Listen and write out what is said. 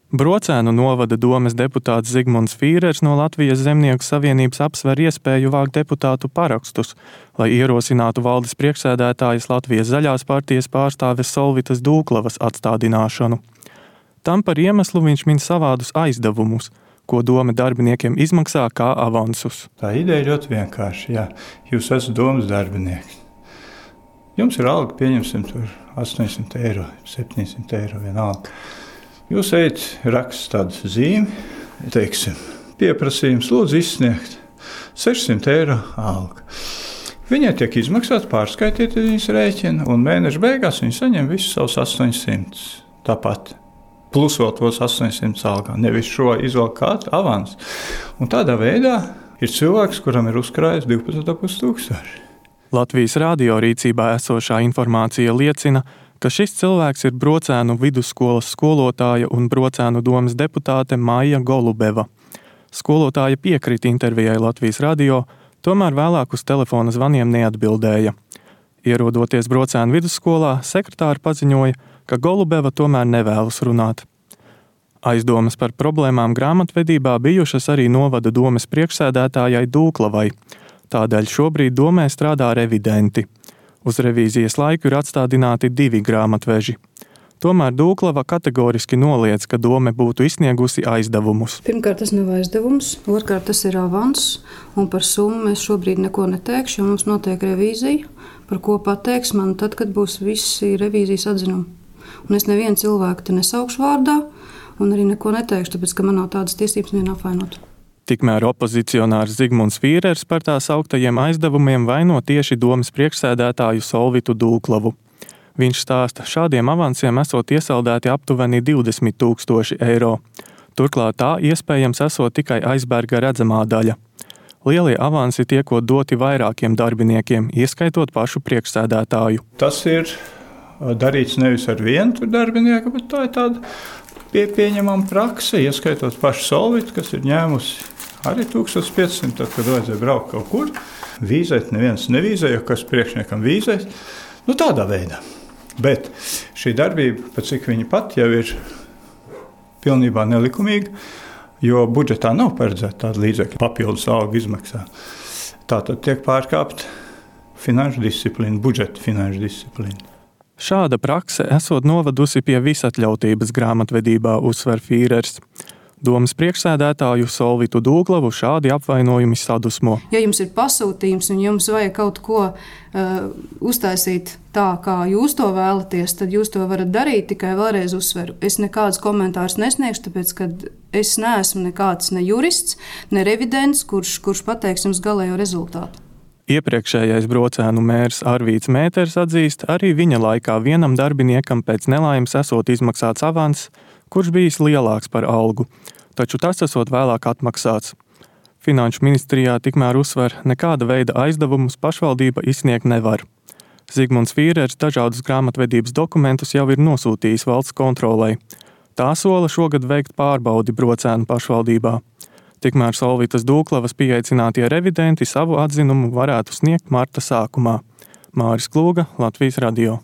Brocēnu novada domes deputāts Zigmunds Fīrers no Latvijas Zemnieku savienības apsver iespēju vākt deputātu parakstus, lai ierosinātu valdes priekšsēdētājas Latvijas Zaļās partijas pārstāves Solvitas Dūklavas atstādināšanu. Tam par iemeslu viņš min savādus aizdevumus, ko dome darbiniekiem izmaksā kā avansus. Tā ideja ļoti vienkārši, jā. Jūs esat domes darbinieks. Jums ir alga, pieņemsim tur 800 eiro, 700 eiro vienalga. Jūs ejat, raksta tādu zīmi, teiksim, pieprasījums lūdzu izsniegt 600 eiro alga. Viņai tiek izmaksāts, pārskaitīt viņas rēķinu, un mēneša beigās viņi saņem visus savus 800. Tāpat. Plus vēl tos 800 algā. Nevis šo izvēl kādu avans. Un tādā veidā ir cilvēks, kuram ir uzkrājis 12,5 tūkstoši. Latvijas radio rīcībā esošā informācija liecina, ka šis cilvēks ir Brocēnu vidusskolas skolotāja un Brocēnu domes deputāte Maija Golubeva. Skolotāja piekrita intervijai Latvijas radio, tomēr vēlāk uz telefona zvaniem neatbildēja. Ierodoties Brocēnu vidusskolā, sekretāri paziņoja, ka Golubeva tomēr nevēlas runāt. Aizdomas par problēmām grāmatvedībā bijušas arī novada domes priekšsēdētājai Dūklavai. Tādēļ šobrīd domē strādā revidenti. Uz revīzijas laiku ir atstādināti 2 grāmatveži. Tomēr Dūklava kategoriski noliedz, ka dome būtu izsniegusi aizdevumus. Pirmkārt, tas nav aizdevums, otrkārt, tas ir avans, un par summu mēs šobrīd neko neteikšu, jo mums notiek revīzija, par ko pateiks man tad, kad būs visi revīzijas atzinumi. Un es nevienu cilvēku te nesaukšu vārdā, un arī neko neteikšu, tāpēc, ka man nav tādas tiesības nevienu apvainot. Tikmēr opozicionārs Zigmunds Fīrers par tā sauktajiem aizdevumiem vaino tieši domes priekšsēdētāju Solvitu Dūklavu. Viņš stāsta, šādiem avansiem esot iesaldēti aptuveni 20,000 eiro. Turklāt tā iespējams esot tikai aizberga redzamā daļa. Lielie avansi tiekot doti vairākiem darbiniekiem, ieskaitot pašu priekšsēdētāju. Tas ir darīts nevis ar vienu darbinieku, bet tā ir tāda pieņemama prakse, ieskaitot pašu Solvitu, kas ir ņēmusi arī 1500, tad, kad vajadzēja braukt kaut kur. Vīzēt neviens nevīzē, jo kas priekšniekam vīzēs. Tādā veidā. Bet šī darbība, pat cik viņa pat jau ir pilnībā nelikumīga, jo budžetā nav paredzēta tāda līdzekļa papildus algu izmaksā. Tātad tiek pārkāpta finanšu disciplīna, budžeta finanšu disciplīna. Šāda prakse esot novadusi pie visatļautības grāmatvedībā, uzsver Fīrers. Domes priekšsēdētāju Solvitu Dūklavu šādi apvainojumi sadusmo. Ja jums ir pasūtījums un jums vajag kaut ko uztaisīt tā, kā jūs to vēlaties, tad jūs to varat darīt, tikai vēlreiz uzsveru. Es nekādus komentārus nesniegšu, tāpēc, ka es neesmu nekāds ne jurists, ne revidents, kurš pateiks jums galējo rezultātu. Iepriekšējais Brocēnu mērs Arvīts Mēters atzīst, arī viņa laikā vienam darbiniekam pēc nelaimes esot izmaksāts avans, kurš bijis lielāks par algu, taču tas esot vēlāk atmaksāts. Finanšu ministrijā tikmēr uzsver, nekāda veida aizdevumus pašvaldība izsniegt nevar. Zigmunds Fīrers dažādus grāmatvedības dokumentus jau ir nosūtījis valsts kontrolei. Tā sola šogad veikt pārbaudi Brocēnu pašvaldībā. Tikmēr Solvitas Dūklavas pieaicinātie revidenti savu atzinumu varētu sniegt marta sākumā. Māris Klūga, Latvijas radio.